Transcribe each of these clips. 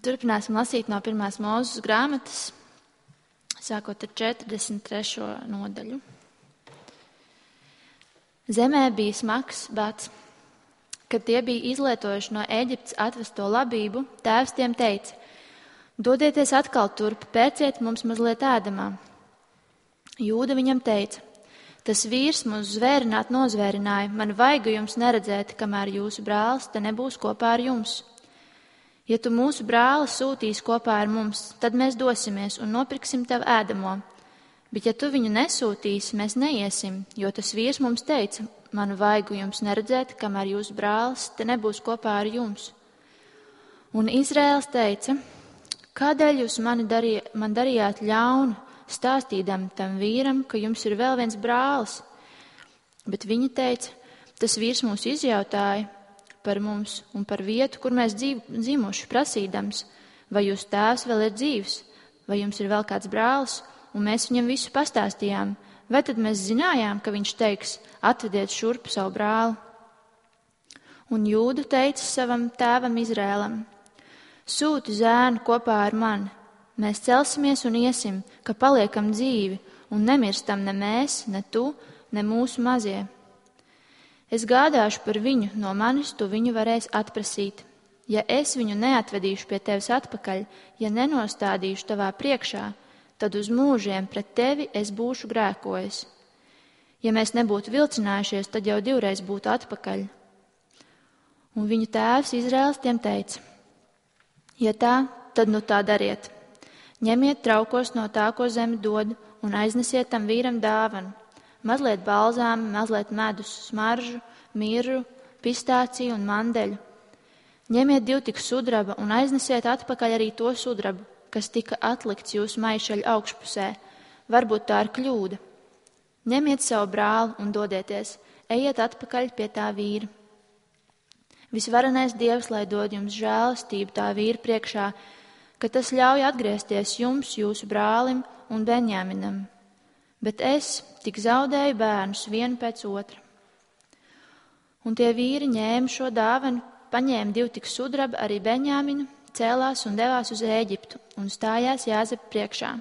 Turpināsim lasīt no 1. Mūzes grāmatas, sākot ar 43. nodaļu. Zemē bija smags bats. Kad tie bija izlietojuši no Ēģiptes atvesto labību, tēvs tiem teica: dodieties atkal turp, pērciet mums mazliet ēdamā. Jūda viņam teica: tas vīrs mūs zvērināt nozvērināja, man vaigu jums neredzēt, kamēr jūsu brālis te nebūs kopā ar jums. Ja tu mūsu brāli sūtīsi kopā ar mums, tad mēs dosimies un nopirksim tev ēdamo. Bet ja tu viņu nesūtīsi, mēs neiesim, jo tas vīrs mums teica: manu vaigu jums neredzēt, kamēr jūsu brālis te nebūs kopā ar jums. Un Izraēls teica: kādēļ jūs man darījāt ļaunu, stāstīdam tam vīram, ka jums ir vēl viens brālis? Bet viņi teica: tas vīrs mūs izjautāja par mums un par vietu, kur mēs dzimuši, prasīdams, vai jūsu tēvs vēl ir dzīvs, vai jums ir vēl kāds brālis, un mēs viņam visu pastāstījām. Vai tad mēs zinājām, ka viņš teiks: atvediet šurp savu brāli? Un Jūda teica savam tēvam Izrēlam: sūti zēnu kopā ar mani, mēs celsimies un iesim, ka paliekam dzīvi, un nemirstam ne mēs, ne tu, ne mūsu mazie. Es gādāšu par viņu, no manis tu viņu varēsi atprasīt. Ja es viņu neatvedīšu pie tevis atpakaļ, ja nenostādīšu tavā priekšā, tad uz mūžiem pret tevi es būšu grēkojis. Ja mēs nebūtu vilcinājušies, tad jau 2 būtu atpakaļ. Un viņu tēvs Izraēls tiem teica: ja tā, tad nu tā dariet. Ņemiet traukos no tā, ko zeme dod, un aiznesiet tam vīram dāvanu. Mazliet balzāmu, mazliet medus, smaržu, mirru, pistāciju un mandeļu. Ņemiet 2 tikus sudraba un aiznesiet atpakaļ arī to sudrabu, kas tika atlikts jūsu maišeļa augšpusē. Varbūt tā ir kļūda. Ņemiet savu brāli un dodieties, ejiet atpakaļ pie tā vīra. Visvarenais Dievs, lai dod jums žēlastību tā vīra priekšā, ka tas ļauj atgriezties jums, jūsu brālim un Benjaminam. Bet es tik zaudēju bērnus vienu pēc otra. Un tie vīri ņēma šo dāvanu, paņēma 2 tikus sudraba, arī Benjaminu, cēlās un devās uz Ēģiptu un stājās Jāzepa priekšā.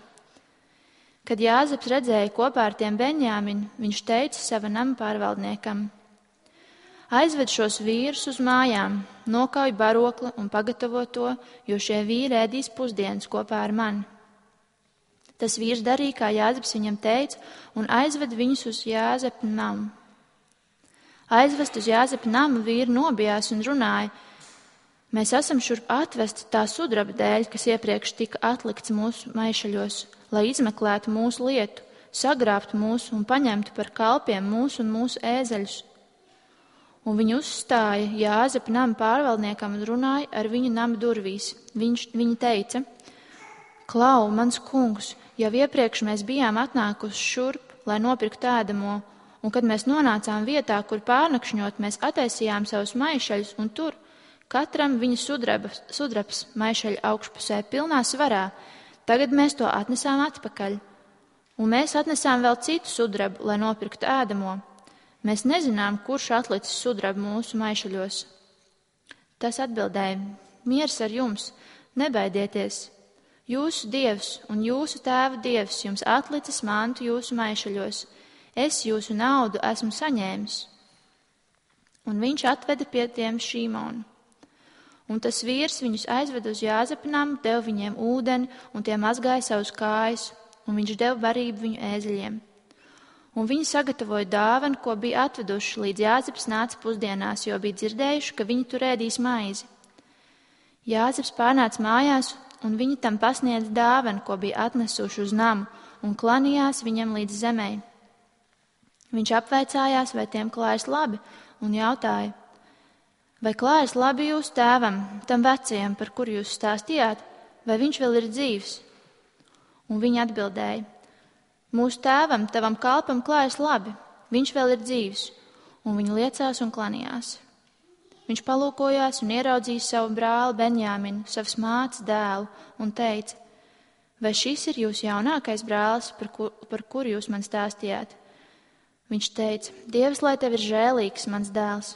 Kad Jāzeps redzēja kopā ar tiem Benjaminu, viņš teica sava nama pārvaldniekam: aizved šos vīrus uz mājām, nokauj barokli un pagatavo to, jo šie vīri ēdīs pusdienas kopā ar mani. Tas vīrs darīja, kā Jāzeps viņam teica, un aizved viņus uz Jāzepa namu. Aizvest uz Jāzepa namu vīri nobijās un runāja: mēs esam šurp atvesti tā sudraba dēļ, kas iepriekš tika atlikts mūsu maišaļos, lai izmeklētu mūsu lietu, sagrābtu mūsu un paņemtu par kalpiem mūsu un mūsu ēzeļus. Un viņi uzstāja Jāzepa nama pārvaldniekam un runāja ar viņu nama durvīs. Viņi teica: klau, mans kungs, jau iepriekš mēs bijām atnākuši šurp, lai nopirktu ēdamo, un kad mēs nonācām vietā, kur pārnakšņot, mēs attaisījām savus maišaļus, un tur katram viņa sudrabs maišaļa augšpusē pilnā svarā. Tagad mēs to atnesām atpakaļ. Un mēs atnesām vēl citu sudrabu, lai nopirktu ēdamo. Mēs nezinām, kurš atlicis sudrabu mūsu maišaļos. Tas atbildēja: miers ar jums, nebaidieties. Jūsu Dievs un jūsu tēva Dievs jums atlicis mantu jūsu maišaļos. Es jūsu naudu esmu saņēmis. Un viņš atveda pie tiem Šīmonu. Un tas vīrs viņus aizveda uz Jāzepa namu, deva viņiem ūdeni, un tie mazgāja savus kājas, un viņš deva barību viņu ēzeļiem. Un viņi sagatavoja dāvanu, ko bija atveduši, līdz Jāzeps nāca pusdienās, jo bija dzirdējuši, ka viņi tur ēdīs maizi. Jāzeps pārnāca mājās, un viņi tam pasniedz dāvanu, ko bija atnesuši uz namu, un klanījās viņam līdz zemē. Viņš apvaicājās, vai tiem klājas labi, un jautāja: vai klājas labi jūsu tēvam, tam vecajam, par kuru jūs stāstījāt, vai viņš vēl ir dzīvs? Un viņi atbildēja: mūsu tēvam, tavam kalpam klājas labi, viņš vēl ir dzīvs. Un viņi liecās un klanījās. Viņš palūkojās un ieraudzīja savu brāli Benjaminu, savas mātes dēlu, un teica: vai šis ir jūsu jaunākais brālis, par kuru jūs man stāstījāt? Viņš teica: Dievs, lai tev ir žēlīgs, mans dēls.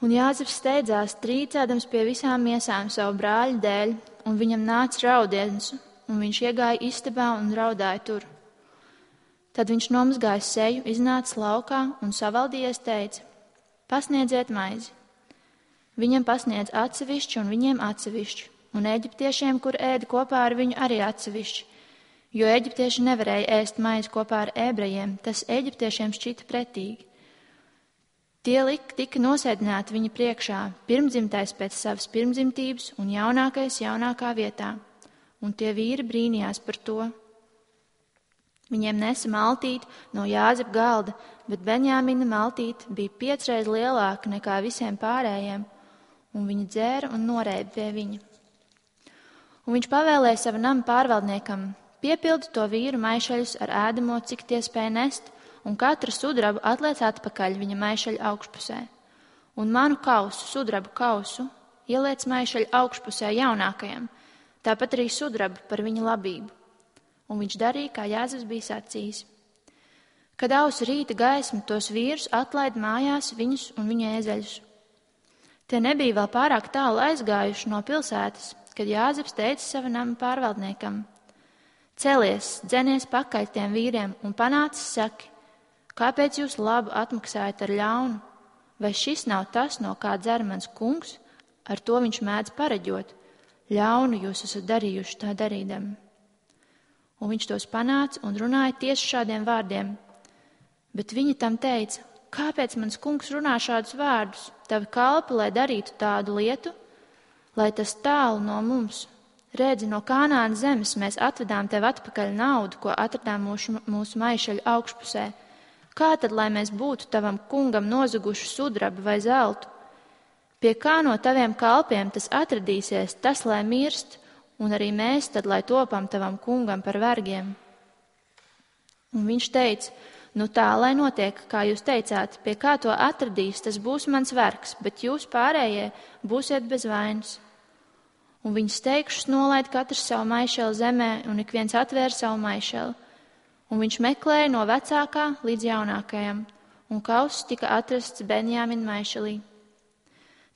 Un Jāzeps steidzās, trīcēdams pie visām miesām savu brāļu dēļ, un viņam nāca raudiens, un viņš iegāja istabā un raudāja tur. Tad viņš nomazgāja seju, iznāca laukā un savaldījies teica: pasniedziet maizi. Viņam pasniedz atsevišķi un viņiem atsevišķi, un eģiptiešiem, kur ēda kopā ar viņu, arī atsevišķi, jo eģiptieši nevarēja ēst maizi kopā ar ebrejiem, tas eģiptiešiem šķita pretīgi. Tie tika nosēdināti viņa priekšā, pirmdzimtais pēc savas pirmdzimtības un jaunākais jaunākā vietā, un tie vīri brīnījās par to. Viņiem nesa maltīti no Jāzepa galda, bet Benjamina maltīte bija 5 reizes lielāka nekā visiem pārējiem, un viņi dzēra un norēba pie viņa. Un viņš pavēlēja savu nama pārvaldniekam: piepildi to vīru maišeļus ar ēdamo, cik tie spēja nest, un katru sudrabu atliec atpakaļ viņa maišeļa augšpusē. Un manu kausu, sudrabu kausu, ieliec maišeļa augšpusē jaunākajam, tāpat arī sudrabu par viņa labību. Un viņš darīja, kā Jāzeps bija sacījis. Kad ausa rīta gaisma, tos vīrus atlaid mājās viņus un viņa ēzeļus. Tie nebija vēl pārāk tālu aizgājuši no pilsētas, kad Jāzeps teica sava nama pārvaldniekam: celies, dzenies pakaļ tiem vīriem un panācis saki: kāpēc jūs labu atmaksājat ar ļaunu? Vai šis nav tas, no kā dzer mans kungs? Ar to viņš mēdz pareģot. Ļaunu jūs esat darījuši tā darīdami. Un viņš tos panāca un runāja tieši šādiem vārdiem. Bet viņi tam teica: kāpēc mans kungs runā šādus vārdus? Tavi kalpi, lai darītu tādu lietu, lai tas tālu no mums. Redzi, no Kanānas zemes mēs atvedām tev atpakaļ naudu, ko atradām mūsu maišeļu augšpusē. Kā tad, lai mēs būtu tavam kungam nozaguši sudrabu vai zeltu? Pie kā no taviem kalpiem tas atradīsies, tas, lai mirst, un arī mēs tad, lai topam tavam kungam par vergiem? Un viņš teica: nu tā, lai notiek, kā jūs teicāt, pie kā to atradīs, tas būs mans vergs, bet jūs pārējie būsiet bez vainas. Un viņas teikšus nolaid katrs savu maišeli zemē, un ik viens atvēra savu maišeli. Un viņš meklēja no vecākā līdz jaunākajam, un kauss tika atrasts Benjamina maišelī.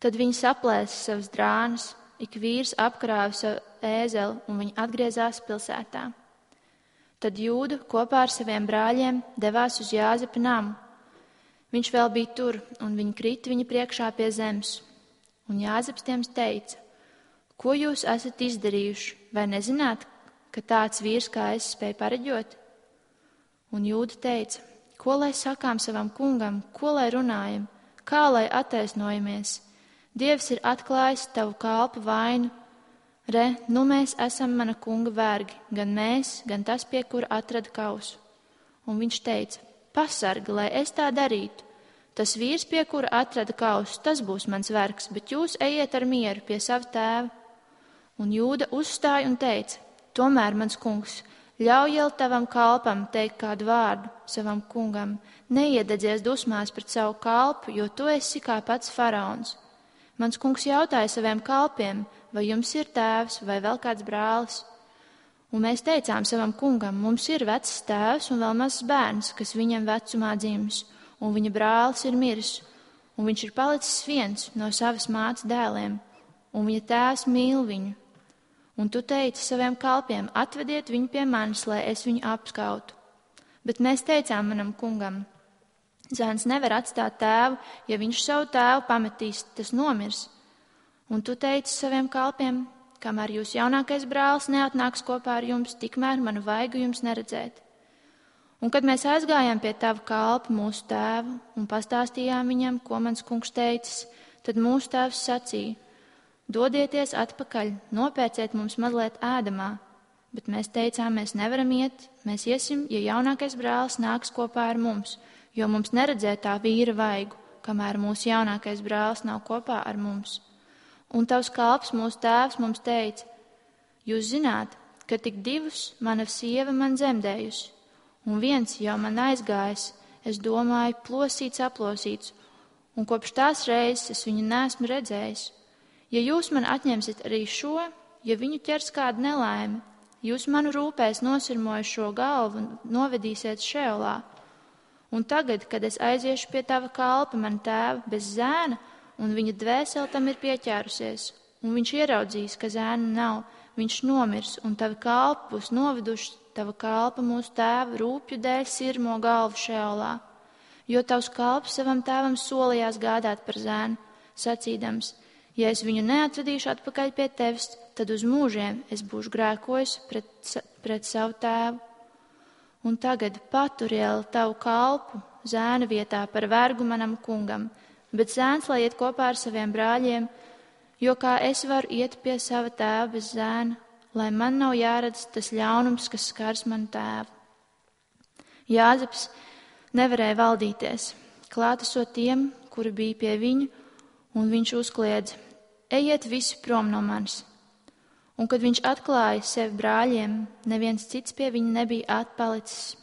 Tad viņi saplēsa savas drānas, ik vīrs apkrāva savu ēzeli, un viņi atgriezās pilsētā. Tad Jūda kopā ar saviem brāļiem devās uz Jāzepa namu. Viņš vēl bija tur, un viņi krita viņa priekšā pie zemes. Un Jāzeps tiem teica: ko jūs esat izdarījuši, vai nezināt, ka tāds vīrs kā es spēj pareģot? Un Jūda teica: ko lai sakām savam kungam, ko lai runājam, kā lai attaisnojamies? Dievs ir atklājis tavu kalpu vainu. Re, nu mēs esam mana kunga vergi, gan mēs, gan tas, pie kura atrada kausu. Un viņš teica: pasargi, lai es tā darītu. Tas vīrs, pie kura atrada kausu, tas būs mans vergs, bet jūs ejiet ar mieru pie sava tēva. Un Jūda uzstāja un teica: tomēr, mans kungs, ļauj tavam kalpam teikt kādu vārdu savam kungam, neiededzies dusmās pret savu kalpu, jo tu esi kā pats faraons. Mans kungs jautāja saviem kalpiem: vai jums ir tēvs vai vēl kāds brālis? Un mēs teicām savam kungam: mums ir vecs tēvs un vēl mazs bērns, kas viņam vecumā dzimis, un viņa brālis ir miris, un viņš ir palicis viens no savas mātes dēliem, un viņa tēvs mīl viņu. Un tu teici saviem kalpiem: atvediet viņu pie manis, lai es viņu apskautu. Bet mēs teicām manam kungam: zēns nevar atstāt tēvu, ja viņš savu tēvu pametīs, tas nomirs. Un tu teici saviem kalpiem: kamēr jūs jaunākais brālis neatnāks kopā ar jums, tikmēr manu vaigu jums neredzēt. Un kad mēs aizgājām pie tava kalpa, mūsu tēvu, un pastāstījām viņam, ko mans kungs teicis, tad mūsu tēvs sacīja: dodieties atpakaļ, nopērciet mums mazliet ēdamā. Bet mēs teicām: mēs nevaram iet, mēs iesim, ja jaunākais brālis nāks kopā ar mums, jo mums neredzēja tā vīra vaigu, kamēr mūsu jaunākais brālis nav kopā ar mums. Un tavs kalps, mūsu tēvs, mums teica: jūs zināt, ka tik 2 mana sieva man zemdējusi, un 1 jau man aizgājis, es domāju, plosīts, aplosīts, un kopš tās reizes es viņu neesmu redzējis. Ja jūs man atņemsiet arī šo, ja viņu ķers kāda nelaime, jūs manu rūpēs nosirmoju šo galvu un novedīsiet šeolā. Un tagad, kad es aiziešu pie tava kalpa, man tēva, bez zēna, un viņa dvēsele tam ir pieķērusies, un viņš ieraudzīs, ka zēna nav, viņš nomirs, un tavi kalpi būs noveduši tava kalpa mūsu tēva rūpju dēļ sirmo galvu šeolā, jo tavs kalps savam tēvam solījās gādāt par zēnu, sacīdams, ja es viņu neatvedīšu atpakaļ pie tevis, tad uz mūžiem es būšu grēkojis pret savu tēvu. Un tagad paturieli tavu kalpu zēna vietā par vergu manam kungam, bet zēns lai iet kopā ar saviem brāļiem, jo kā es varu iet pie sava tēva bez zēna, lai man nav jāredz tas ļaunums, kas skars manu tēvu. Jāzeps nevarēja valdīties, klātesot tiem, kuri bija pie viņu, un viņš uzkliedza, ejiet visi prom no manis. Un kad viņš atklāja sevi brāļiem, neviens cits pie viņa nebija atpalicis.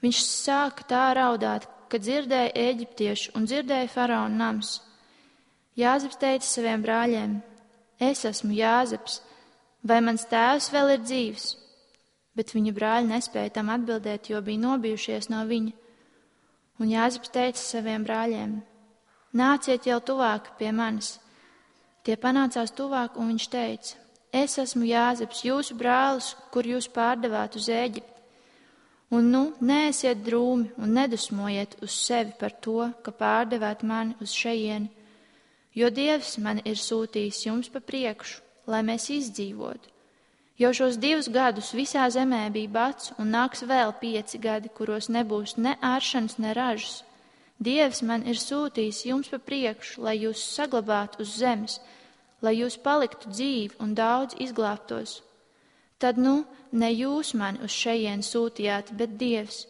Viņš sāka tā raudāt, ka dzirdēja eģiptiešu un dzirdēja faraona nams. Jāzeps teica saviem brāļiem, es esmu Jāzeps, vai mans tēvs vēl ir dzīvs? Bet viņa brāļi nespēja tam atbildēt, jo bija nobijušies no viņa. Un Jāzeps teica saviem brāļiem, nāciet jau tuvāk pie manis. Tie panācās tuvāk, un viņš teica, es esmu Jāzeps, jūsu brālis, kur jūs pārdevāt uz Ēģipti. Un nu, neesiet drūmi un nedusmojiet uz sevi par to, ka pārdevāt mani uz šejieni, jo Dievs mani ir sūtījis jums pa priekšu, lai mēs izdzīvotu. Jau šos 2 gadus visā zemē bija bats, un nāks vēl 5 gadi, kuros nebūs ne āršanas, ne ražas. Dievs man ir sūtījis jums pa priekšu, lai jūs saglabātu uz zemes, lai jūs paliktu dzīvi un daudz izglābtos. Tad nu, ne jūs mani uz šejien sūtījāt, bet Dievs.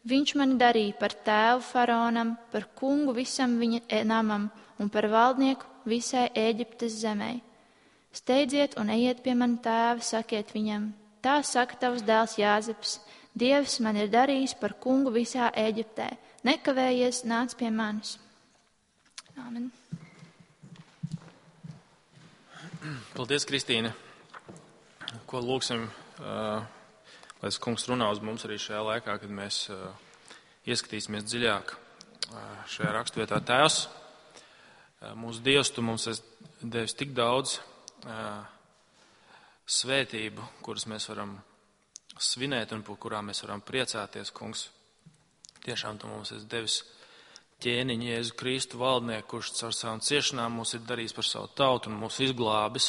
Viņš mani darīja par tēvu faraonam, par kungu visam viņa namam un par valdnieku visai Ēģiptes zemei. Steidziet un ejiet pie mana tēva, sakiet viņam, tā saka tavs dēls Jāzeps, Dievs man ir darījis par kungu visā Ēģiptē. Nekavējies, nāc pie manis. Āmen. Paldies, Kristīne. Ko lūksim, lai kungs runā uz mums arī šajā laikā, kad mēs ieskatīsimies dziļāk šajā rakstvietā. Tēvs, mūsu Dievs, tu mums esi devis tik daudz svētību, kuras mēs varam svinēt un par kurām mēs varam priecāties, kungs. Tiešām tu mums esi devis ķēniņu Jēzu Kristu valdnieku, kurš caur savām ciešanām mūs ir darījis par savu tautu un mūs izglābis.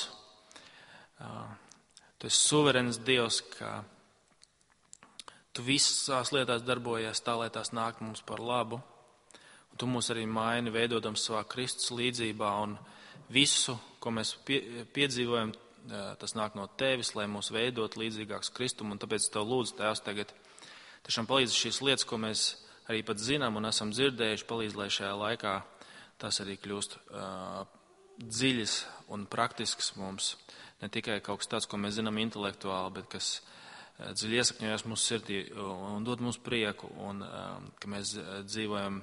Tu esi suverēns Dievs, ka tu visās lietās darbojies tā, lai tās nāk mums par labu. Un tu mūs arī maini, veidodams savā Kristus līdzībā, un visu, ko mēs piedzīvojam, tas nāk no tevis, lai mūs veidot līdzīgāks Kristum, un tāpēc tev lūdzu, Tēvs, tagad tiešām palīdz šīs lietas, ko mēs arī pat zinām un esam dzirdējuši, palīdz, lai šajā laikā tas arī kļūst dziļas un praktisks mums. Ne tikai kaut kas tāds, ko mēs zinām intelektuāli, bet kas dziļi iesakņojas mūsu sirdī un dod mums prieku, un ka mēs dzīvojam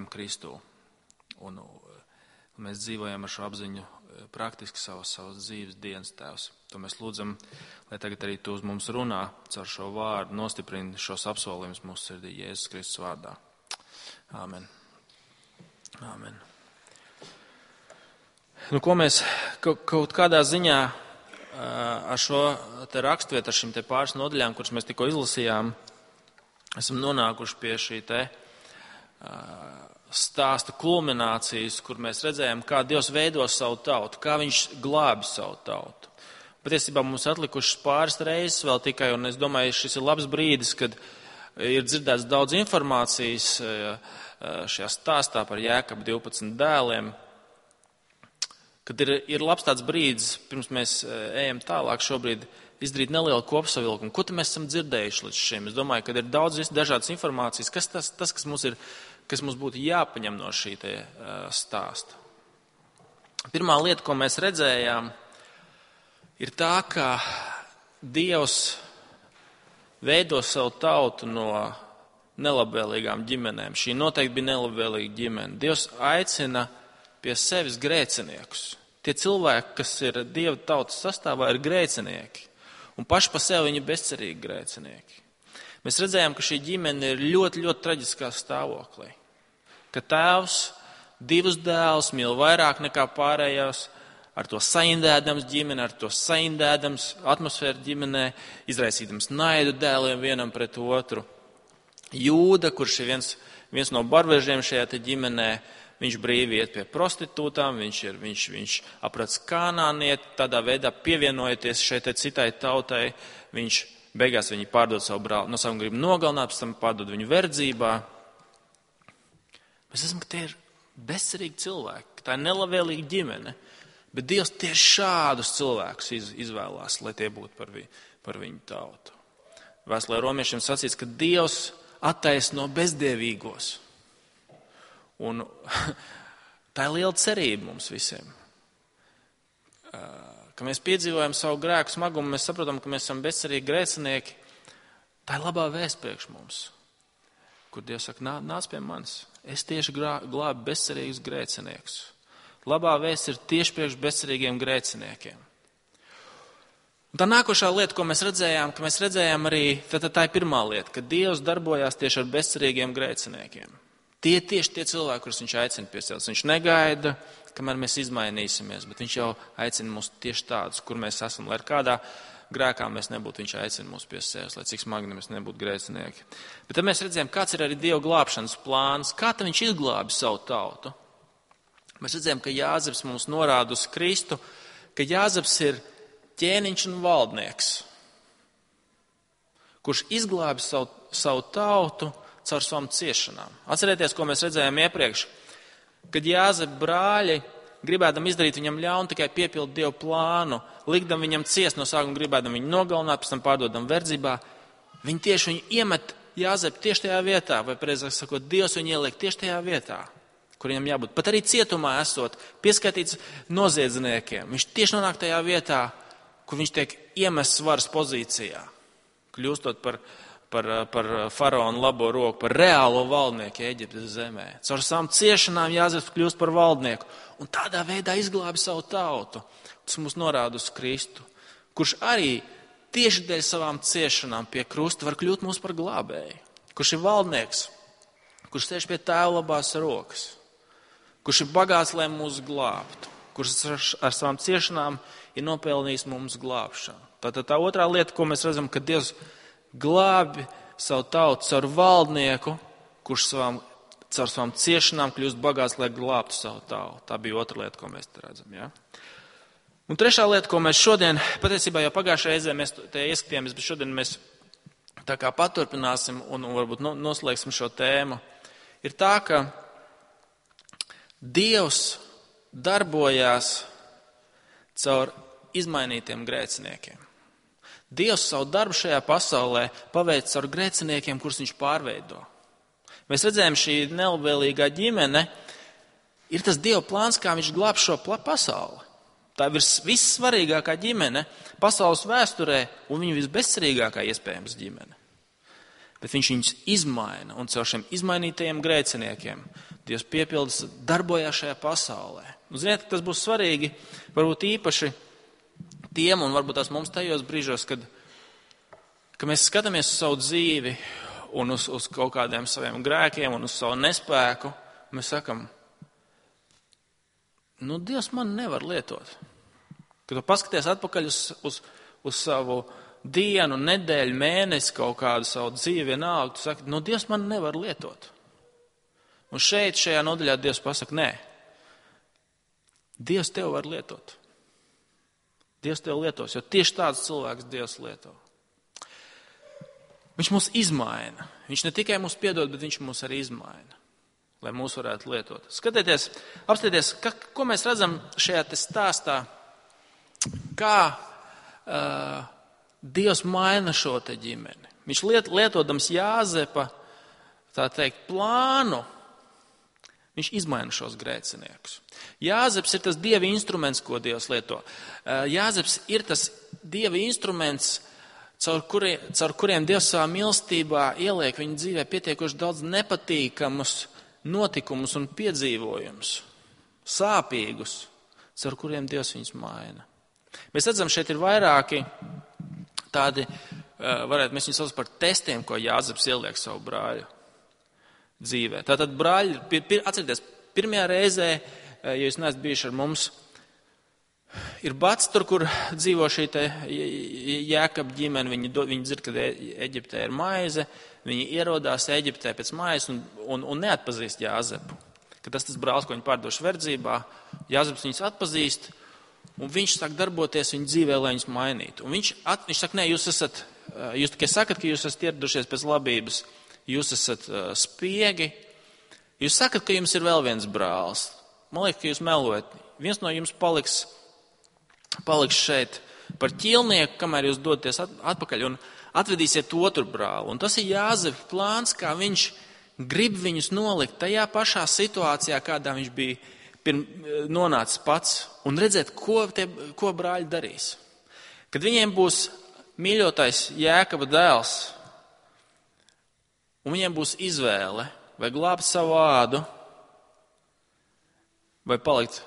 Kristū. Un mēs dzīvojam ar šo apziņu praktiski savas dzīves dienas, Tēvs. To mēs lūdzam, lai tagad arī tu uz mums runā caur šo vārdu, nostiprini šos apsolījumus mūsu sirdī Jēzus Kristus vārdā. Āmen. Āmen. Nu, ko mēs kaut kādā ziņā ar šo te rakstvietu, ar šīm te pāris nodaļām, kuras mēs tikko izlasījām, esam nonākuši pie šī te stāsta kulminācijas, kur mēs redzējām, kā Dievs veido savu tautu, kā viņš glābi savu tautu. Patiesībā mums atlikušas pāris reizes vēl tikai, un es domāju, šis ir labs brīdis, kad ir dzirdēts daudz informācijas šajā stāstā par Jēkabu 12 dēliem, kad ir labs tāds brīdis, pirms mēs ejam tālāk šobrīd, izdarīt nelielu kopsavilkumu. Ko mēs esam dzirdējuši līdz šim? Es domāju, ka ir daudz dažādas informācijas. Kas kas mums būtu jāpaņem no šī te stāsta? Pirmā lieta, ko mēs redzējām, ir tā, ka Dievs veido savu tautu no nelabvēlīgām ģimenēm. Šī noteikti bija nelabvēlīga ģimene. Dievs aicina pie sevis grēciniekus. Tie cilvēki, kas ir Dieva tautas sastāvā, ir grēcinieki. Un paši pa sevi viņi bezcerīgi grēcinieki. Mēs redzējām, ka šī ģimene ir ļoti, ļoti traģiskā stāvoklī. ka tēvs divus dēlus mīl vairāk nekā pārējos, ar to saindēdams ģimeni, ar to saindēdams atmosfēru ģimenē, izraisīdams naidu dēliem vienam pret otru. Jūda, kurš ir viens no barvežiem šajā te ģimenē, viņš brīvi iet pie prostitūtām, viņš aprec kanānieti, tādā veidā pievienojoties šai te citai tautai, viņš beigās viņu pārdod savu brāli, no savam grib nogalināt, pēc tam pārdod viņu verdzībā. Mēs esam, ka tie ir bezcerīgi cilvēki, ka tā ir nelabvēlīga ģimene, bet Dievs tieši šādus cilvēkus izvēlās, lai tie būtu par viņu tautu. Vēstulē romiešiem sacīts, ka Dievs attaisno bezdievīgos. Un tā ir liela cerība mums visiem. Ka mēs piedzīvojam savu grēku smagumu, mēs saprotam, ka mēs esam bezcerīgi grēcinieki. Tā ir labā vēsts priekš mums, kur Dievs saka, nāc pie manis. Es tieši glābu bezcerīgus grēciniekus. Labā vēsts ir tieši priekš bezcerīgiem grēciniekiem. Un tā nākošā lieta, ko mēs redzējām arī, tā ir pirmā lieta, ka Dievs darbojās tieši ar bezcerīgiem grēciniekiem. Tie tieši tie cilvēki, kurus viņš aicina pie sevis. Viņš negaida, kamēr mēs izmainīsimies, bet viņš jau aicina mūs tieši tādus, kur mēs esam, lai ar kādā grēkā mēs nebūtu, viņš aicina mūs pie sevis, lai cik smagi mēs nebūtu grēcinieki. Bet tad mēs redzējām, kāds ir arī Dieva glābšanas plāns, kā tad viņš izglābi savu tautu. Mēs redzējām, ka Jāzeps mums norāda uz Kristu, ka Jāzeps ir ķēniņš un valdnieks, kurš izglābi savu tautu caur savām ciešanām. Atcerieties, ko mēs redzējām iepriekš, kad Jāzepa brāļi, gribēdam izdarīt viņam ļaunu, tikai piepildu Dievu plānu, likdam viņam ciest no sākuma, gribēdam viņu nogalināt, pēc tam pārdodam verdzībā, viņi tieši viņu iemet Jāzepu tieši tajā vietā, vai precīzāk sakot, Dievs viņu ieliek tieši tajā vietā, kur viņam jābūt. Pat arī cietumā esot, pieskaitīts noziedzniekiem, viņš tieši nonāk tajā vietā, kur viņš tiek iemests varas pozīcijā, kļūstot par faraona labo roku, par reālo valdnieku Eģiptes zemē. Caur savām ciešanām Jāzeps kļūst par valdnieku un tādā veidā izglābi savu tautu. Tas mums norāda uz Kristu, kurš arī tieši dēļ savām ciešanām pie krusta var kļūt mūs par glābēju. Kurš ir valdnieks, kurš sēž pie tēva labās rokas, kurš ir bagāts, lai mūs glābtu, kurš ar savām ciešanām ir nopelnījis mums glābšanu. Tātad tā otrā lieta, ko mēs redzam, ka Dievs glābi savu tautu caur valdnieku, kurš caur savām ciešanām kļūst bagāts, lai glābtu savu tautu. Tā bija otra lieta, ko mēs te redzam. Ja? Un trešā lieta, ko mēs šodien, patiesībā jau pagājušajā reizē mēs te ieskatījāmies, bet šodien mēs tā kā paturpināsim un varbūt noslēgsim šo tēmu, ir tā, ka Dievs darbojās caur izmainītiem grēciniekiem. Dievs savu darbu šajā pasaulē paveic caur grēciniekiem, kurus viņš pārveido. Mēs redzējām, šī nelabvēlīgā ģimene ir tas Dieva plāns, kā viņš glāb šo pasauli. Tā ir vissvarīgākā ģimene pasaules vēsturē un viņa visbezcerīgākā iespējams ģimene. Bet viņš viņus izmaina un caur šiem izmainītajiem grēciniekiem Dievs piepildas darbojās šajā pasaulē. Un ziniet, tas būs svarīgi, varbūt īpaši tiem un varbūt tās mums tajos brīžos, kad mēs skatāmies uz savu dzīvi un uz kaut kādiem saviem grēkiem un uz savu nespēku, mēs sakam, Dievs man nevar lietot. Kad tu paskaties atpakaļ uz savu dienu, nedēļu, mēnesi, kaut kādu savu dzīvi vienalga, tu saki, Dievs man nevar lietot. Un šajā nodaļā Dievs pasaka, nē, Dievs tev var lietot. Dievs tev lietos, jo tieši tāds cilvēks Dievs lieto. Viņš mūs izmaina. Viņš ne tikai mūs piedod, bet viņš mūs arī izmaina, lai mūs varētu lietot. Skatieties, apstieties, ko mēs redzam šajā te stāstā, kā Dievs maina šo te ģimeni. Viņš lietodams Jāzepa, tā teikt, plānu, viņš izmaina šos grēciniekus. Jāzeps ir tas Dieva instruments, ko Dievs lieto. Jāzeps ir tas Dieva instruments, caur kuriem Dievs savā mīlestībā ieliek viņa dzīvē pietiekoši daudz nepatīkamus notikumus un piedzīvojumus, sāpīgus, caur kuriem Dievs viņus maina. Mēs redzam, šeit ir vairāki tādi, mēs viņus saucam par testiem, ko Jāzeps ieliek savu brāļu dzīvē. Tātad brāļi, atcerieties, pirmajā reizē, ja jūs neesat bijuši ar mums, ir Bats tur, kur dzīvo šī te Jēkaba ģimene. Viņi dzird, ka Eģiptē ir maize, viņi ierodās Eģiptē pēc maizes un neatpazīst Jāzepu. Ka tas brālis, ko viņi pārdoši verdzībā, Jāzeps viņus atpazīst, un viņš sāk darboties viņa dzīvē, lai viņus mainītu. Un viņš saka, nē, jūs tikai sakat, ka jūs esat ieradušies pēc labības, jūs esat spiegi, jūs sakat, ka jums ir vēl viens brālis. Man liekas, ka jūs melojat. Viens no jums paliks šeit par ķīlnieku, kamēr jūs dodaties atpakaļ un atvedīsiet otru brāli. Un tas ir Jāzepa plāns, kā viņš grib viņus nolikt tajā pašā situācijā, kādā viņš bija nonācis pats, un redzēt, ko brāļi darīs. Kad viņiem būs mīļotais Jēkaba dēls, un viņiem būs izvēle, vai glābt savu ādu, vai palikt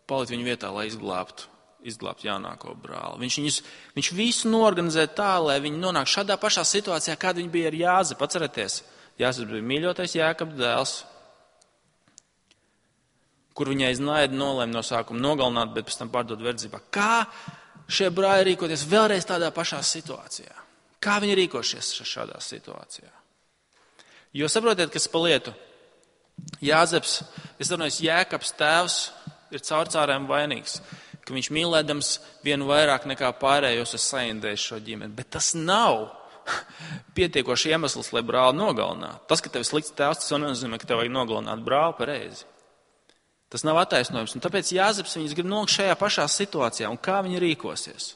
viņu vietā, lai izglābtu jaunāko brāli. Viņš visu norganizē tā, lai viņi nonāk šādā pašā situācijā, kāda viņi bija ar Jāzepu. Atcerieties, Jāzeps bija mīļotais Jēkaba dēls, kur viņai aiz naida nolēma no sākuma nogalināt, bet pēc tam pārdot verdzībā. Kā šie brāļi rīkoties vēlreiz tādā pašā situācijā? Kā viņi rīkošies šādā situācijā? Jo saprotiet, kas pa lietu. Jāzeps, Jēkabs tēvs ir caurcārēm vainīgs, ka viņš mīlēdams vienu vairāk nekā pārējos ir saindējis šo ģimeni. Bet tas nav pietiekoši iemesls, lai brāli nogalinātu. Tas, ka tev ir slikts tēvs, tas nenozīmē, ka tev vajag nogalināt brāli pareizi. Tas nav attaisnojums. Un tāpēc Jāzeps viņus grib nolikt šajā pašā situācijā. Un kā viņi rīkosies?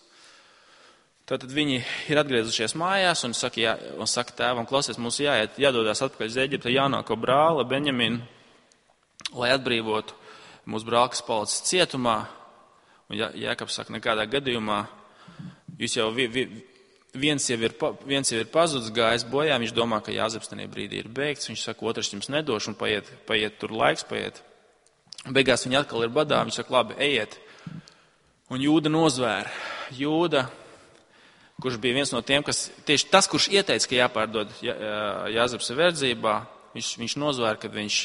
Tātad viņi ir atgriezušies mājās un saka tēvam, klausies, mums jādodās atpakaļ uz Eģiptu jaunāko brāli, Benjaminu, lai atbrīvotu mūsu brāli, kas palicis cietumā. Un Jēkabs saka, nekādā gadījumā jūs jau viens jau ir pazudis, gājis bojā, viņš domā, ka Jāzeps tajā brīdī ir beigts, viņš saka, otrs jums nedošu, un paiet tur laiks, Beigās viņi atkal ir badā, viņš saka, labi, ejiet. Un Jūda nozvēra. Jūda, kurš bija viens no tiem, tieši tas, kurš ieteica, ka jāpārdod Jāzeps verdzībā, viņš nozvēra, kad viņš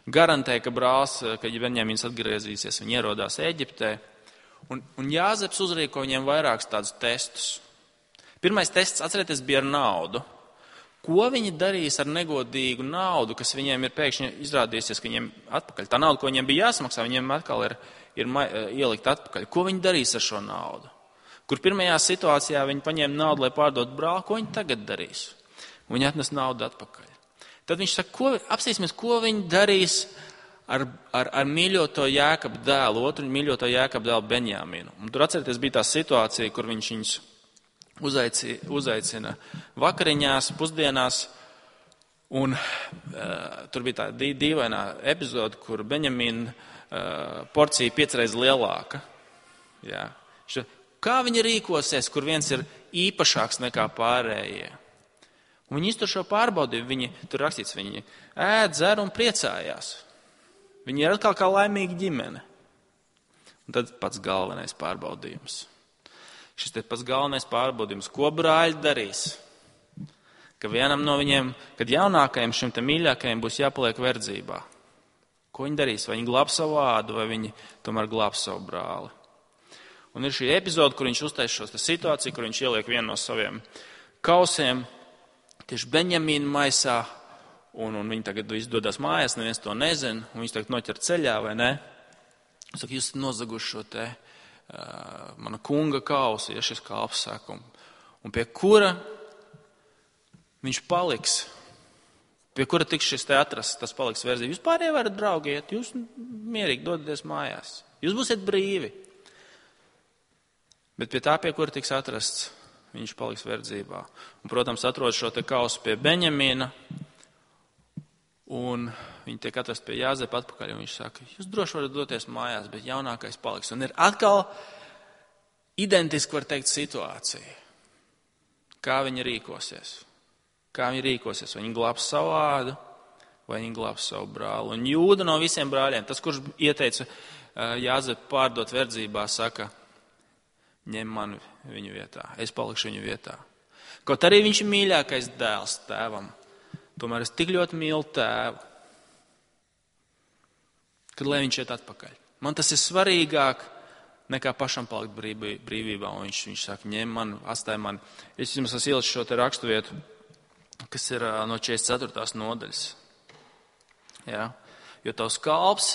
garantēja, ka brālis, ka Benjamins atgriezīsies, viņi ierodās Eģiptē. Un Jāzeps uzrīko viņiem vairākus tādus testus. Pirmais tests, atcerieties, bija ar naudu. Ko viņi darīs ar negodīgu naudu, kas viņiem ir pēkšņi izrādījusies, ka viņiem atpakaļ? Tā nauda, ko viņiem bija jāsamaksā, viņiem atkal ir ielikt atpakaļ. Ko viņi darīs ar šo naudu? Kur pirmajā situācijā viņi paņēma naudu, lai pārdot brāli, ko viņi tagad darīs? Viņi atnes naudu atpakaļ. Tad viņš saka, apsīsimies, ko viņi darīs ar mīļoto Jēkaba dēlu, otru mīļoto Jēkaba dēlu Benjaminu. Un tur atcerieties, bija tā situācija, kur viņš viņus uzaicina vakariņās, pusdienās, un tur bija tā dīvainā epizode, kur Benjamina porcija 5 reizes lielāka. Jā. Kā viņi rīkosies, kur viens ir īpašāks nekā pārējie? Un viņi iztur šo pārbaudījumu, tur rakstīts, viņi ēd, dzer un priecājās. Viņi ir atkal kā laimīga ģimene. Un tad pats galvenais pārbaudījums. Šis te pats galvenais pārbaudījums, ko brāļi darīs, ka vienam no viņiem, kad jaunākajam šim te mīļākajam būs jāpaliek verdzībā. Ko viņi darīs? Vai viņi glābs savu ādu, vai viņi tomēr glābs savu brāli? Un ir šī epizode, kur viņš uztais šo situāciju, kur viņš ieliek vienu no saviem kausiem tieši Benjamīna maisā, un viņi tagad izdodas mājās, neviens to nezina, un viņš tagad noķer ceļā, vai ne? Viņš saka, jūs nozaguši šo te mana kunga kausi, ja šis kalps saka, un pie kura viņš paliks, pie kura tiks šis te atrasts, tas paliks verzība. Jūs pārējie varat draugiet, jūs mierīgi dodaties mājās, jūs būsiet brīvi. Bet pie tā, pie kura tiks atrasts, viņš paliks verdzībā. Un, protams, atrod šo te kausu pie Benjamina, un viņi tiek atrast pie Jāzepa atpakaļ, un viņš saka, jūs droši varat doties mājās, bet jaunākais paliks. Un ir atkal identiski, var teikt, situācija. Kā viņi rīkosies? Vai viņi glābs savu ādu, vai viņi glābs savu brāli? Un Jūda no visiem brāļiem, tas, kurš ieteica Jāzepu pārdot verdzībā, saka, ņem mani viņu vietā, es palikšu viņu vietā. Kaut arī viņš ir mīļākais dēls tēvam. Tomēr es tik ļoti mīlu tēvu, kad lai viņš iet atpakaļ. Man tas ir svarīgāk nekā pašam palikt brīvībā. Un viņš saka, ņem man, atstāj man. Es jums esmu ielicis šo te raksturvietu, kas ir no 44. nodaļas. Ja? Jo tavs kalps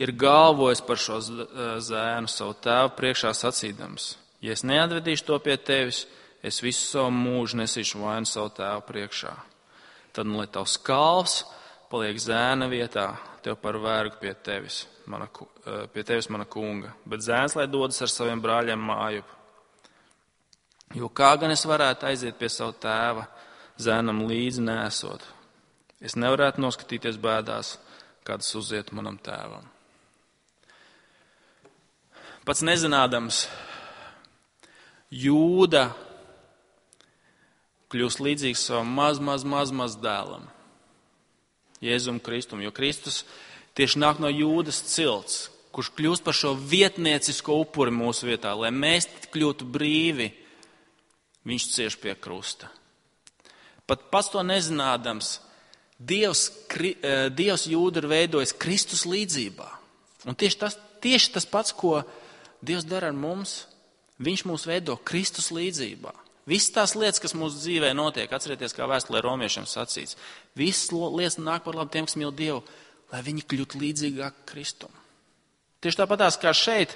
ir galvojis par šo zēnu savu tēvu priekšā sacīdams. Ja es neatvedīšu to pie tevis, es visu savu mūžu nesīšu vainu savu tēvu priekšā. Tad, lai tavs kalps paliek zēna vietā, tev par vergu pie tevis, mana kunga. Bet zēns, lai dodas ar saviem brāļiem mājup. Jo kā gan es varētu aiziet pie savu tēva, zēnam līdzi nesot? Es nevarētu noskatīties bēdās, kādas uziet manam tēvam. Pats nezinādams, Jūda kļūst līdzīgs savam maz dēlam, Jēzum Kristum, jo Kristus tieši nāk no Jūdas cilts, kurš kļūst par šo vietniecisko upuri mūsu vietā, lai mēs kļūtu brīvi, viņš cieš pie krusta. Pat pats to nezinādams, Dievs Jūdu ir veidojis Kristus līdzībā. Un tieši tas pats, ko Dievs dara ar mums, viņš mūs veido Kristus līdzībā. Visas tās lietas, kas mūsu dzīvē notiek, atcerieties, kā vēstulē romiešiem sacīts, visas lietas nāk par labu tiem, kas mīl Dievu, lai viņi kļūtu līdzīgāk Kristum. Tieši tāpatās kā šeit,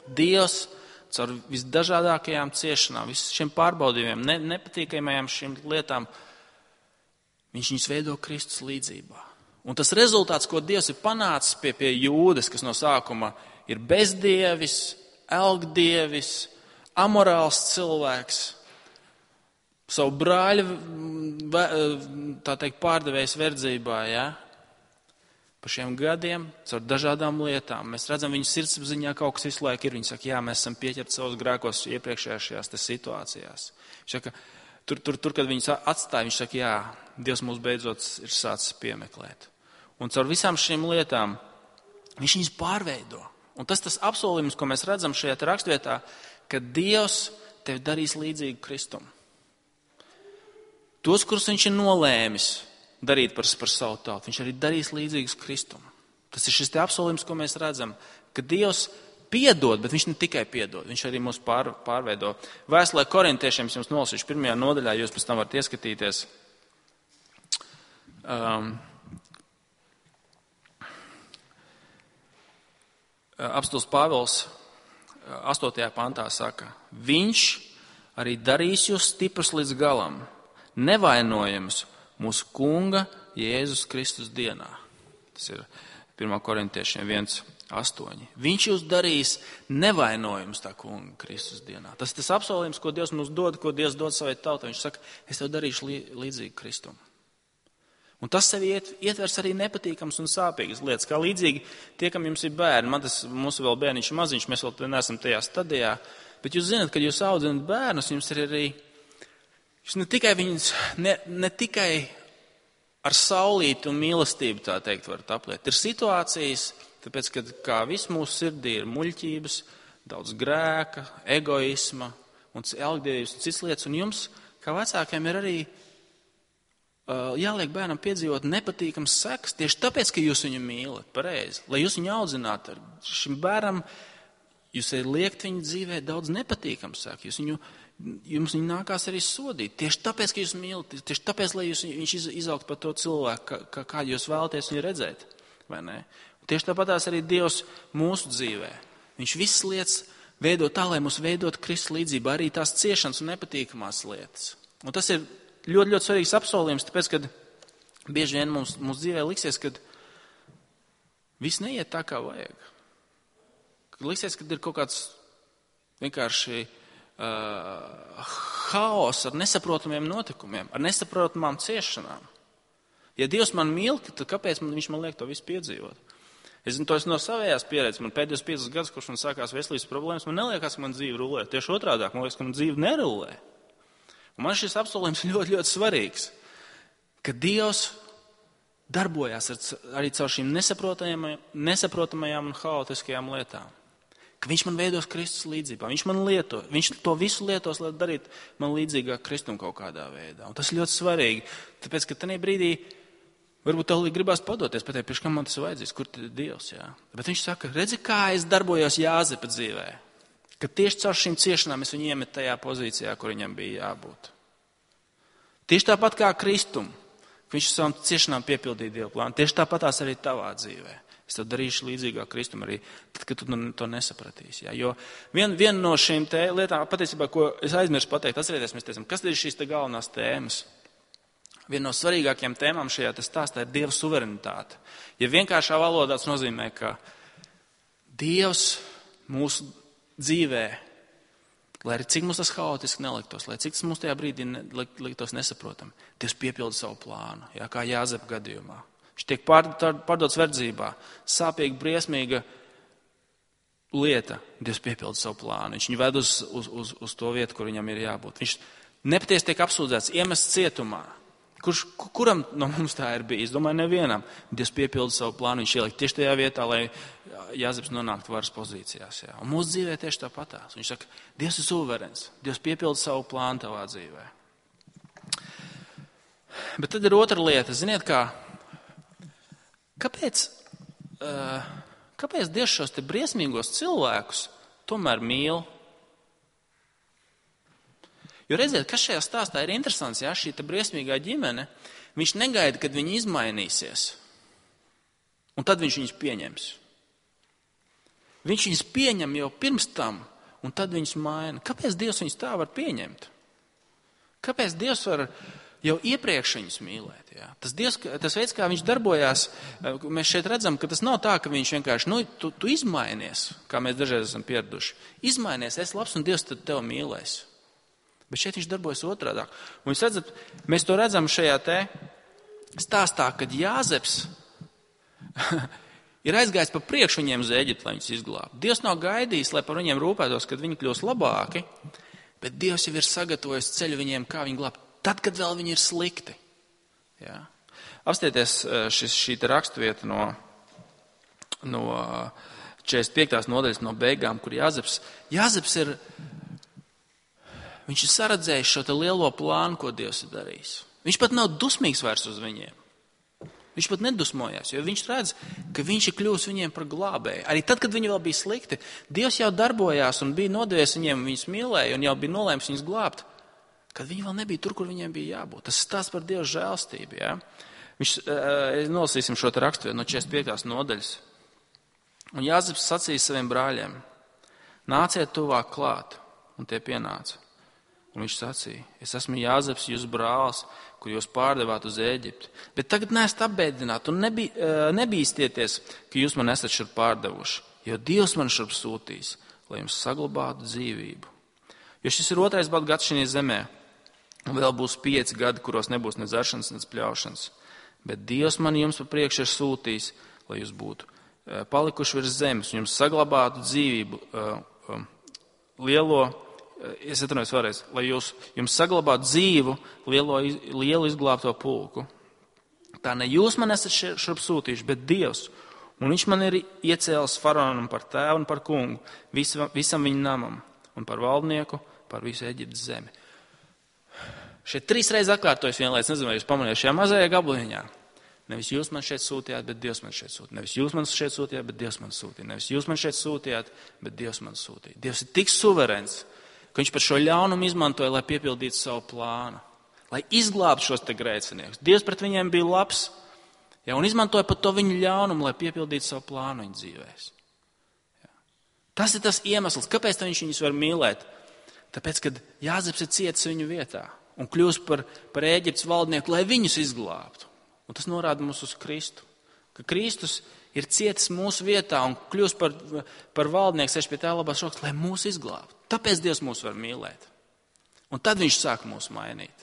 Dievs caur visdažādākajām ciešanām, visiem šiem pārbaudījumiem, nepatīkamajām šīm lietām, viņš viņus veido Kristus līdzībā. Un tas rezultāts, ko Dievs ir panācis pie Jūdas, kas no sākuma ir bezdievis, elgdievis, amorāls cilvēks, savu brāļu, tā teikt, pārdevējs verdzībā, ja? Pa šiem gadiem, caur dažādām lietām, mēs redzam, viņu sirdsapziņā kaut kas visu laiku ir. Viņi saka, jā, mēs esam pieķerti savos grēkos iepriekšējās šajās situācijās. Viņš saka, tur, kad viņus atstāja, viņš saka, jā, Dievs mūs beidzot ir sācis piemeklēt. Un caur visām šīm lietām viņš viņus pārveido. Un tas apsolījums, ko mēs redzam šajā rakstvietā, ka Dievs tevi darīs līdzīgu Kristum. Tos, kurus viņš ir nolēmis darīt par savu tautu, viņš arī darīs līdzīgus Kristum. Tas ir šis te apsolījums, ko mēs redzam, ka Dievs piedod, bet viņš ne tikai piedod, viņš arī mūs pārveido. Vēstulē korintiešiem es jums nolasīšu 1. nodaļā, jūs pēc tam varat ieskatīties. Apostils Pāvils 8. pantā saka, viņš arī darīs jūs stiprus līdz galam, nevainojams mūsu kunga Jēzus Kristus dienā. Tas ir 1. korintiešiem 1:8. Viņš jūs darīs nevainojams tā kunga Kristus dienā. Tas ir tas apsolījums, ko Dievs mums dod, ko Dievs dod savai tautai. Viņš saka, es tev darīšu līdzīgi Kristum. Un tas sevi ietvers arī nepatīkams un sāpīgas lietas. Kā līdzīgi tie, kam jums ir bērni, mūsu vēl bērniņš ir maziņš, mēs vēl neesam tajā stadijā, bet jūs zināt, kad jūs audzināt bērnus, jums ir arī, jūs ne tikai viņus, ne tikai ar saulīti un mīlestību, tā teikt, varat apliet. Ir situācijas, tāpēc, kad kā viss mūsu sirdī ir muļķības, daudz grēka, egoisma un elgdievības un citas lietas, un jums, kā vecākiem, ir arī jāliek bērnam piedzīvot nepatīkams sekas, tieši tāpēc, ka jūs viņu mīlat, pareizi. Lai jūs viņu audzinātu, šim bērnam jūs liekt viņu dzīvē daudz nepatīkams sekas. Jums viņu nākās arī sodīt. Tieši tāpēc, ka jūs mīlat, tieši tāpēc, lai viņš izaugt par to cilvēku, kā jūs vēlaties viņu redzēt. Vai ne? Tieši tāpatās arī Dievs mūsu dzīvē. Viņš visas lietas veido tā, lai mūs veidot Kristus līdzībā, arī tās ciešanas un nepatīkamās lietas. Un tas ir ļoti, ļoti svarīgs apsolījums, tāpēc, kad bieži vien mums dzīvē liksies, kad viss neiet tā, kā vajag. Kad liksies, kad ir kaut kāds vienkārši haoss ar nesaprotamiem notikumiem, ar nesaprotamām ciešanām. Ja Dievs man mīl, tad kāpēc viņš man liek to visu piedzīvot? Es zinu, to es no savējās pieredzes. Man pēdējos 5 gadus, kurš man sākās veselības problēmas, man neliekas, ka man dzīve rulē. Tieši otrādāk, man liekas, ka man dzīve nerulē. Un man šis apsolījums ļoti, ļoti svarīgs, ka Dievs darbojās arī caur šīm nesaprotamajām un haotiskajām lietām. ka viņš man veidos Kristus līdzībā. Viņš man lieto, viņš to visu lietos, lai darītu man līdzīgāk Kristum kaut kādā veidā. Un tas ir ļoti svarīgi, tāpēc, ka tajā brīdī varbūt tev gribās padoties, pateikt, priekš kam man tas vajadzīs, kur tad ir Dievs, jā. Bet viņš saka, redzi, kā es darbojos Jāzepa dzīvē, ka tieši caur šīm ciešanām es viņu iemetu tajā pozīcijā, kur viņam bija jābūt. Tieši tāpat kā Kristum, ka viņš savām ciešanām piepildīja Dievu plānu, tieši tāpatās arī tavā dzīvē. Es tev darīšu līdzīgāk Kristum arī, tad, kad tu to nesapratīsi. Ja? Jo viena no šīm lietām, patiesībā, ko es aizmirsu pateikt, atcerieties, mēs teicam, kas tad ir šīs galvenās tēmas? Viena no svarīgākajām tēmām šajā stāstā ir Dieva suverenitāte. Ja vienkāršā valodā tas nozīmē, ka Dievs mūsu dzīvē, lai arī cik mums tas haotiski neliktos, lai cik tas mums tajā brīdī liktos nesaprotam, Dievs piepilda savu plānu, ja? Kā Jāzepa gadījumā. Viņš tiek pārdots verdzībā. Sāpīga, briesmīga lieta. Dievs piepilda savu plānu. Viņš viņu ved uz to vietu, kur viņam ir jābūt. Viņš nepatiesi tiek apsūdzēts, iemests cietumā. Kuram no mums tā ir bijis? Domāju, nevienam. Dievs piepilda savu plānu. Viņš ielikt tieši tajā vietā, lai Jāzeps nonāktu varas pozīcijās. Jā. Un mūsu dzīvē tieši tāpatās. Viņš saka, Dievs ir suverens. Dievs piepilda savu plānu tavā dzīvē. Bet tad ir otra lieta. Ziniet, Kāpēc Dievs šos te briesmīgos cilvēkus tomēr mīl? Jo redziet, kas šajā stāstā ir interesants, ja šī te briesmīgā ģimene, viņš negaida, kad viņi izmainīsies. Un tad viņš viņus pieņems. Viņš viņus pieņem jau pirms tam, un tad viņus maina. Kāpēc Dievs viņus tā var pieņemt? Kāpēc Dievs var jau iepriekš viņus mīlēt? Jā. Tas veids, kā viņš darbojās, mēs šeit redzam, ka tas nav tā, ka viņš vienkārši, tu izmainies, kā mēs dažreiz esam pieraduši. Izmainies, esi labs un Dievs tad tev mīlēs. Bet šeit viņš darbojas otrādāk. Un jūs redzat, mēs to redzam šajā te stāstā, kad Jāzeps ir aizgājis pa priekšu viņiem uz Ēģipti, lai viņus izglābtu. Dievs nav gaidījis, lai par viņiem rūpētos, kad viņi kļūs labāki, bet Dievs jau ir sagatavojis ceļu viņiem, kā viņi glābt. Tad, kad vēl viņi ir slikti. Jā. Apstieties šī raksturvieta no 45. nodaļas no beigām, kur Jāzeps ir, viņš ir saredzējis šo te lielo plānu, ko Dievs ir darījis. Viņš pat nav dusmīgs vairs uz viņiem. Viņš pat nedusmojās, jo viņš redz, ka viņš ir kļuvis viņiem par glābēju. Arī tad, kad viņi vēl bija slikti, Dievs jau darbojās un bija nodevies viņiem, viņus mīlēja un jau bija nolēms viņus glābt. Kad viņi vēl nebija tur, kur viņiem bija jābūt. Tas stāsts par Dieva žēlstību. Ja? Nolasīsim šo te raksturvietu no 45. nodaļas. Un Jāzeps sacīja saviem brāļiem, nāciet tuvāk klāt, un tie pienāca. Un viņš sacīja, es esmu Jāzeps, jūs brālis, kur jūs pārdevāt uz Ēģipti. Bet tagad neesat apbēdināti un nebīstieties, ka jūs man esat šur pārdevuši, jo Dievs man šurp sūtīs, lai jums saglabātu dzīvību. Jo šis ir 2. badu gads šajā zemē. Un vēl būs 5 gadi, kuros nebūs ne dzeršanas, ne pļaušanas. Bet Dievs man jums pa priekšu ir sūtījis, lai jūs būtu palikuši virs zemes un jums saglabātu dzīvību lai jums saglabātu dzīvu lielu izglābto pulku. Tā ne jūs man esat šurp sūtījuši, bet Dievs. Un viņš man ir iecēlis faraonam par tēvu un par kungu, visam viņa namam un par valdnieku, par visu Eģiptes zemi. Šeit 3 reizes atkārtojas viena lieta, nezinu, vai jūs pamanījāt šajā mazajā gabaliņā. Nevis jūs man šeit sūtījāt, bet Dievs man šeit sūtīja. Nevis jūs man šeit sūtījāt, bet Dievs man sūtīja. Nevis jūs man šeit sūtījāt, bet Dievs man sūtīja. Dievs ir tik suverens, ka viņš par šo ļaunumu izmantoja, lai piepildītu savu plānu, lai izglābtu šos te grēciniekus. Dievs pret viņiem bija labs, ja, un izmantoja pat to viņu ļaunumu, lai piepildītu savu plānu viņu dzīvēs. Ja. Tas ir tas iemesls, kāpēc viņš viņus var mīlēt. Tāpēc, kad Jāzeps ir cietis viņu vietā un kļūst par Ēģiptes valdnieku, lai viņus izglābtu. Un tas norāda mums uz Kristu, ka Kristus ir cietis mūsu vietā un kļūst par valdnieku, sēž pie tā labās rokas, lai mūs izglābtu. Tāpēc Dievs mūs var mīlēt. Un tad viņš sāk mūs mainīt.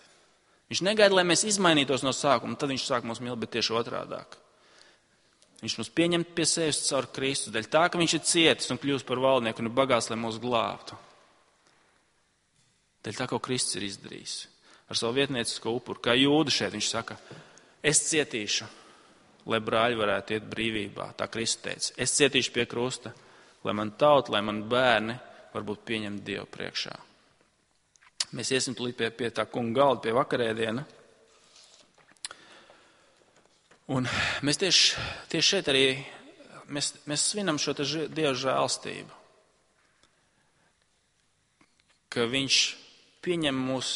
Viņš negaida, lai mēs izmainītos no sākuma, tad viņš sāk mūs mīlēt, bet tieši otrādāk. Viņš mūs pieņem pie sevis caur Kristu, dēļ tā, ka viņš ir cietis un kļūst par valdnieku un ir bagāts, lai mūs glābtu. Dēļ tā, ko Kristus ir izdarījis ar savu vietniecisko upuru. Kā Jūda šeit viņš saka, es cietīšu, lai brāļi varētu iet brīvībā. Tā Kristus teica, es cietīšu pie krusta, lai man tauta, lai man bērni varbūt pieņemt Dievu priekšā. Mēs iesim tūlīt pie tā kunga galda, pie vakarēdiena. Un mēs tieši šeit arī mēs svinam šo Dieva žēlstību, ka viņš pieņem mūs,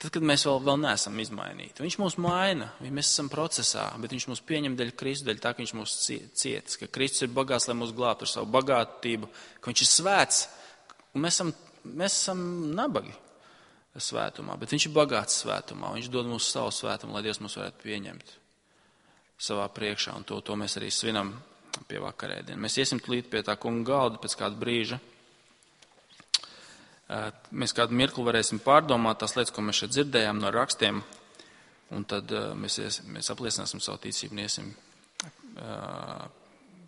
tad, kad mēs vēl neesam izmainīti. Viņš mūs maina, mēs esam procesā, bet viņš mūs pieņem dēļ Kristus, dēļ tā, ka viņš mūs cietis, ka Kristus ir bagāts, lai mūs glābtu ar savu bagātību, ka viņš ir svēts, un mēs esam nabagi svētumā, bet viņš ir bagāts svētumā, viņš dod mums savu svētumu, lai Dievs mūs varētu pieņemt savā priekšā, un to mēs arī svinam pie vakarēdiena. Mēs iesim tūlīt pie tā kunga galda pēc kāda brīža. Mēs kādu mirkli varēsim pārdomāt tās lietas, ko mēs šeit dzirdējām no rakstiem, un tad mēs apliecināsim savu ticību un iesim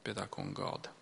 pie tā kunga galda.